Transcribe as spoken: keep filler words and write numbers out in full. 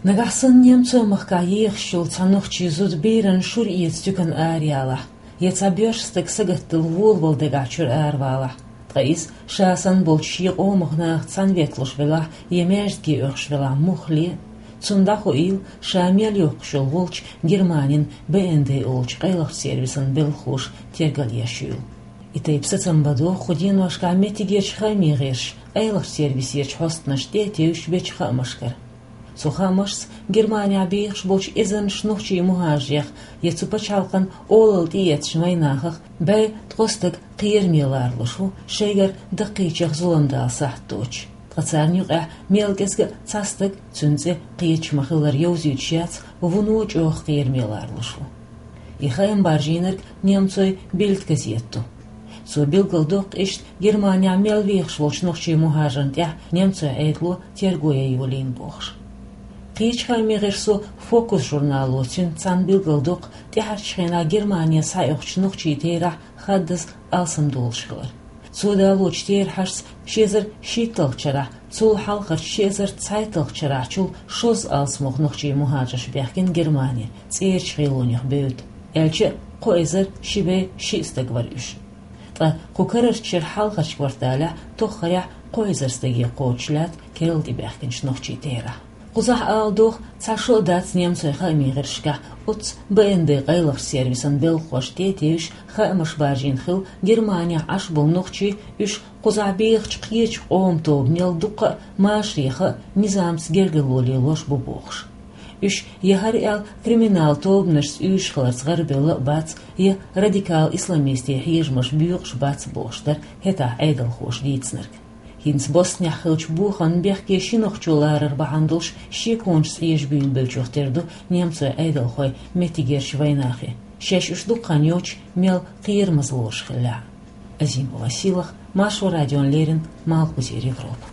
Нагахь санна немцойн махкахь ехаш йолу цхьа нохчийн зуда берана шура эца туькана араялахь, я цхьа боьрша стаг сагатдала волавала дагахь чуьра аравалахь, ткъа иза ша санна болчу шен къомах нахаца цхьаьна ветталуш велахь, я маьждиге оьхуш велахь муххале, цунна дӀахоийла ша мел йоккхуш йолу волчу Германин Б Н Д олучу къайлахчу сервисан белхалоша тергал еш йолу. И тайпа сацам бан догӀу кху деношкахь меттигерчу хаамийн гӀирсаша къайлахчу сервисерчу хьостанашна тӀе а тевжаш бечу хаамашкара. Цу хаамашца Германехь бехаш болчу эзарнаш нохчийн мухӀажарех я цу пачхьалкхан олалла тӀеэцначу вайнахах бӀе ткъа стаг кхераме ларалуш ву, шайгара даккхийчех зулам дала сахьт доцуш. Ткъа царна юкъахь мел кӀезга а цхьа стаг, цуьнан цӀе кхеташ ма-хиллара йовзуьйтуш яц, вуно чӀогӀа кхераме ларалуш ву. И хаам баржийнарг немцойн Бильд газета ду. Цо билгалдоккху иштта Германехь мел вехаш волчу нохчийн мухӀажарна тӀехь немцойн Ӏедало терго ян йолийна бохуш. Кхечу хаамийн гӀирсо Фокус журнало цуьнца цхьаьна билгалдоккху тӀаьхьарчу хенахь Германе схьаоьхучу нохчийн терахь хаддаза алсам долуш хилар. Цо далочу терахьашца ши эзар шийтталгӀачу шарахь, цул хьалхарчу ши эзар цхьайтталгӀачу шарахьчул шозза алсамох нохчийн мухӀажарш баьхкина Германе цӀерачу гӀелонех бевдда, аьлча а кхо эзар ши бӀе шиъ стаг вара уьш. Ткъа кху карарчу шеран хьалхарчу кварталехь тоххарехь кхо эзар стаге кхочуш лаьтта керла тӀебаьхкинчу нохчийн терахь. Кхузахь ала догӀу, цхьа шо а дац немцойн хаамийн гӀирсашкахь оццу Б Н Д къайлахчу сервисан белхалошна тӀе а тевжаш хаамаш баржийна хилла Германехь Ӏаш болу нохчий, уьш кхузахь бехачу кхечу къоман тобанел дуккха а машарех а, низамца гергарло лелош бу бохуш. Уьш я хӀара аьлла криминал тобанашца уьйраш хиларца гӀарабевлла а бац, я радикал исламистийн хьежамаш боькъуш бац бохуш дара хӀетахь Ӏедалхоша дийцинарг. ХӀинца Боснехь хиллачу бохамна бехке ши нохчо ларар бахьана долуш шеконашца Ӏежабуьйлабеллачух тера ду немцойн Ӏедалхой меттигерчу вайнахе, шаьш уьш дукха хан йоцуш мел кхерамаза лоруш хиллехь а. Азимова Силах, Маршо радиона леррина, Малхбузера Европа.